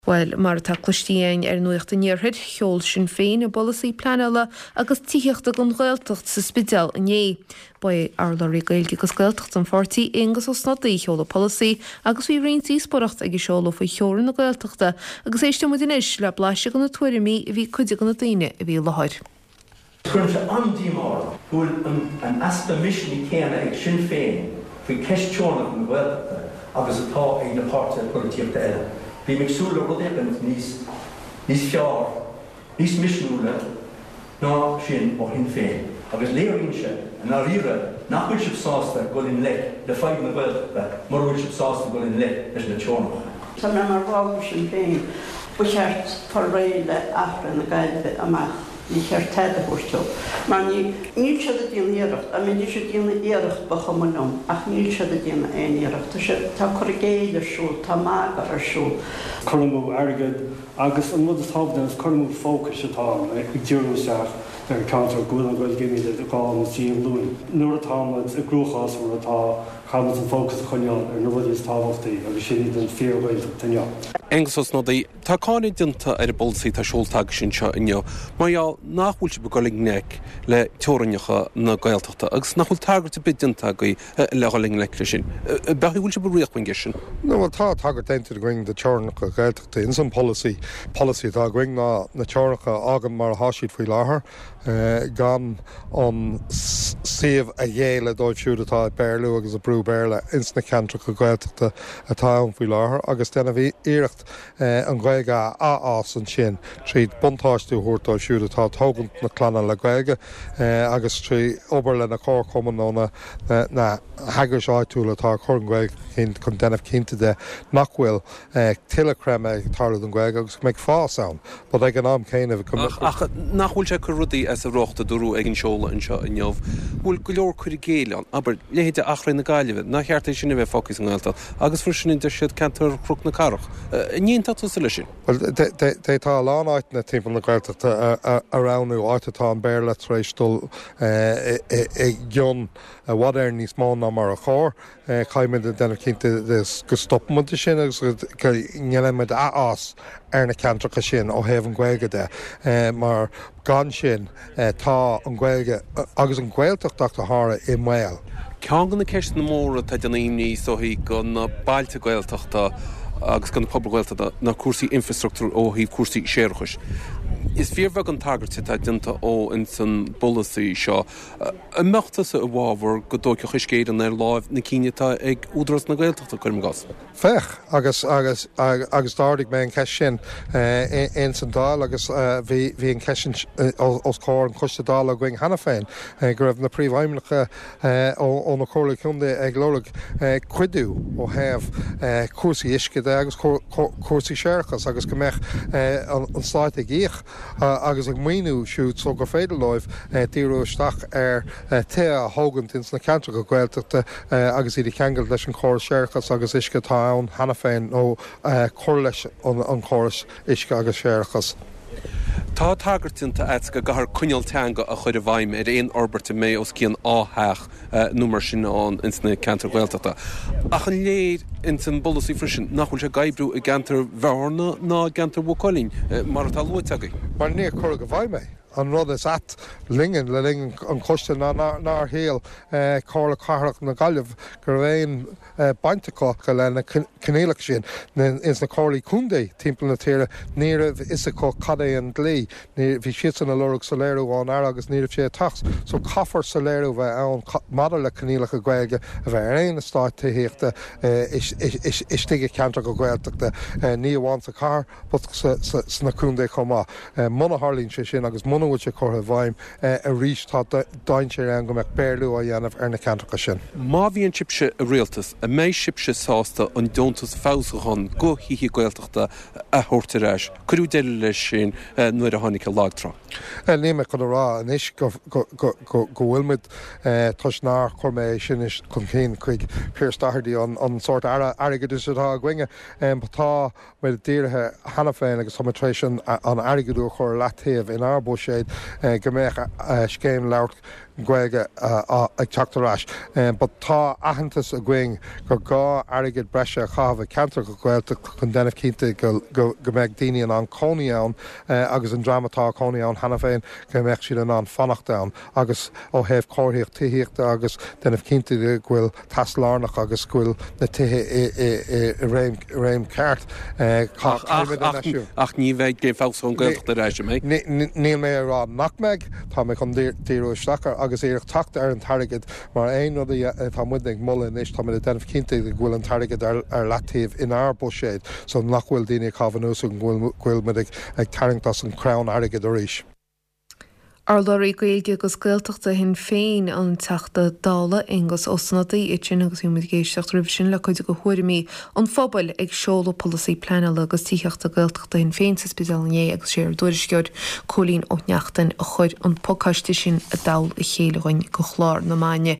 Bhuel, mar atá cloiste againn ar Nuacht an Iarthair, sheol Sinn Féin a bpolasaí pleanála agus tithíochta don Ghaeltacht sa Spidéal inné. Ba é urlabhraí Gaeilge agus Gaeltachta an pháirtí, Aengus Ó Snodaigh, a sheol an polasaí agus bhí roinnt díospóireacht ag an seoladh faoi theorainn na Gaeltachta agus éisteann muid anois le blaiseadh de na tuairimí a bhí ag cuid de na daoine a bhí i láthair. Cuireann sé an-díomá orm go bhfuil an easpa misnigh céanna ag Sinn Féin faoi cheist teorainneacha na Gaeltachta agus atá ag na páirtithe polaitíochta eile. Bím ag súil le rud éicint níos níos fearr, níos misniúla ná sin ó Shinn Féin agus léiríonn sé i ndáiríre nach bhfuil sibh sásta dul i ngleic le fadhb na Gaeltachta mura bhfuil sibh sásta dul i ngleic leis na teorainneacha. Tá mé mar bhall de Shinn Féin. Ba cheart fáil réidh le Achréidh na Gaillimhe amach. Ní cheart tada a thabhairt dóibh, mar ní níl siad ag déanamh iarracht. Dá mbeidís ag déanamh iarracht ba chuma liom, ach níl siad ag déanamh aon iarracht. Tá siad, tá cur i gcéill ar siúl, tá magadh ar siúl. Cur amú airgid agus an rud is tábhachtaí is cur amú fócais atá ann, ag díriú isteach ar cheantar go bhfuil an Ghaeilge imithe le dhá nó trí ghlúin. Nuair atá muid i gcruachás mar atá, caithfidh muid an fócas a choinneáil ar na rudaí is tábhachtaí agus sin iad an fíor-Ghaeltacht inniu. Aengus Ó Snodaigh. Tá cáineadh déanta ar an bpolasaí atá seolta agaibhse anseo inniu mar gheall nach bhfuil sibh ag dul i ngleic le teorainneacha na Gaeltachta agus nach bhfuil tagairt ar bith déanta agaibh le dhul i ngleic leis sin. Ab ea go bhfuil sibh ag ritheacht faoin gceist sin? No, bhuel tá tagairt déanta againn do teorainneacha Gaeltachta ins an polasaí. Polasaí atá againn ná na teorainneacha a fhágaint mar atá siad faoi láthair, gan an suíomh a ghéilleadh dóibh siúd atá ag Béarlú agus ag brú Béarla ins na ceantracha Gaeltachta atá ann faoi láthair agus déanamh iarracht an Ghaeilge a athfhás ansin tríd buntáiste a thabhairt dóibh siúd atá ag tógaint na clainne le Gaeilge agus trí obair le na comharchumainn nó na na heagrais áitiúla atá ag cur an Ghaeilge chun cinn chun déanamh cinnte de nach bhfuil tuilleadh creimeadh ag tarlú don Ghaeilge agus go mbeidh fás ann but ag an am céanna go mbeadh. Ach nach bhfuil sé ag cur rudaí as a riocht a dúradh ag an seoladh anseo inniu, go bhfuil go leor cur i gcéill ann, abair, leithéide Achréidh na Gaillimhe, nár cheart é sin a bheith fágtha sa nGaeltacht agus freisin a deir siad ceantar Chnoc na Cathrach. An aontódh tusa leis sin? Bhuel, d'fhéadfá a lán áiteanna timpeall na Gaeltachta a roghnú, áit atá an Béarla tar éis dul i gcion i bhfad Éireann níos mó ná mar a chóir. Caithfimid a déanamh cinnte de go stopaimid de sin agus go ndéanaimid athfhás ar na ceantracha sin ó thaobh an Ghaeilge de mar gan sin tá an Ghaeilge agus an Ghaeltacht ach go háirithe i mbaol. Ceann de na ceisteanna móra atá ag déanamh imní is dóichí do na bailte Gaeltachta agus do na pobail Ghaeltachta ná cúrsaí infreastruchtúir ó thaobh cúrsaí séarachais. Is fíorbheag an tagairt atá déanta dó ins an bpolasaí seo. An mbeadh tusa i bhfabhar go dtógfadh Uisce Éireann ar láimh na cinn atá ag Údarás na Gaeltachta, cuirim i gcás? Bheadh, agus, agus, agus d'ardaigh mé an cheist sin ins an Dáil agus bhí, bhí an cheist sin os comhair an Choiste Dála againn cheana féin, go raibh na príomhfheidhmeannacha ó na Comhairlí Contae ag lorg cuidiú ó thaobh cúrsaí uisce de agus cúrsaí séarachais agus go mbeadh an Stát ag íoc agus ag maoiniú siúd so gur féidir leo díriú isteach ar tithe a thógaint ins na ceantracha Gaeltachta agus iad a cheangailt leis an chóras séarachais agus uisce atá ann cheana féin nó cur leis an chóras uisce agus séarachais. Tá tagairt déanta agat go gcaithfear coinníoll teanga a chur i bhfeidhm ar aon fhorbairt a mbeidh os cionn 2 theach nó mar sin ann ins na ceantair Ghaeltachta. Ach an léir ins an bpolasaí freisin nach bhfuil sé ag oibriú i gceantar Bhearna ná i gceantar Mhaigh Cuilinn, mar atá luaite agaibh? Mar níor cuireadh i bhfeidhm é. An rud is ait linne le linn an choiste ná nár shíl Comhairle Cathrach na Gaillimhe go raibh aon baint acu le na coinníollacha sin. Ins na comhairlí contae timpeall na tíre ní raibh fhios acu cad é an dlí. Bhí siadsan ag lorg soiléiriú ón Aire agus ní raibh sé ag teacht. So caithfear soiléiriú a bheith ann maidir le coinníollacha Gaeilge a bheith ar aon eastáit tithíochta istigh i gceantracha Gaeltachta, ní amháin sa chathair but sna contae chomh maith. Muna tharlaíonn sé sin agus muna bhfuil sé curtha i bhfeidhm arís tá dainséar ann go mbeadh Béarlú á dhéanamh ar na ceantracha sin. Má bhíonn sibhse i rialtas, an mbeidh sibhse sásta an deontas feabhsúcháin go thithe Gaeltachta a thabhairt ar ais? Cuireadh deireadh leis sin nuair a tháinig an lagtrá. Níl mé chun a rá anois go bhfuil muid, toisc nár chuir mé é sin chun cinn chuig Pearse Doherty, an sórt Aire Airgeadais atá againne. Tá muid dírithe cheana féin agus tá muid tar éis an airgead a chur ar leataobh inár buiséad. mbuiséad go mbeadh scéim labhairt Gaeilge ag teacht ar ais. But tá aitheantas againn gur gá airgead breise a chaitheamh i gceantracha Gaeltachta chun déanamh cinnte go mbeidh daoine in ann cónaí ann agus an dream atá ag cónaí ann cheana féin go mbeadh siad in ann fanacht ann agus ó thaobh cóiríocht tithíochta agus déanamh cinnte de go bhfuil teas lárnach agus go bhfuil na tithe i réim ceart. Caithfimid an eisiú. Ach ní bheidh Scéim Feabhsúcháin Gaeltachta ar ais, an mbeidh? Níl mé ag rá nach mbeidh. Tá mé chun díriú isteach air agus iarracht teacht ar an t-airgead mar aon rud atá muid ag moladh anois, tá muid ag déanamh cinnte de go bhfuil an t-airgead ar leataobh inár buiséad so nach bhfuil daoine ag caitheamh anuas go bhfuil muid ag tarraingt as an chrann airgid arís. Urlabhraí Gaeilge agus Gaeltachta Shinn Féin, an Teachta Dála Aengus Ó Snodaigh, ansin agus bhí muid ag éisteacht roimhe sin le cuid de thuairimí an phobail ag seoladh polasaí pleanála agus tithíochta Gaeltachta Shinn Féin sa Spidéal inné agus sé ár dtuairisceoir Cóilín Ó Neachtain a chuir an pacáiste sin i dtoll a chéile dhuinn go chlár na maidne.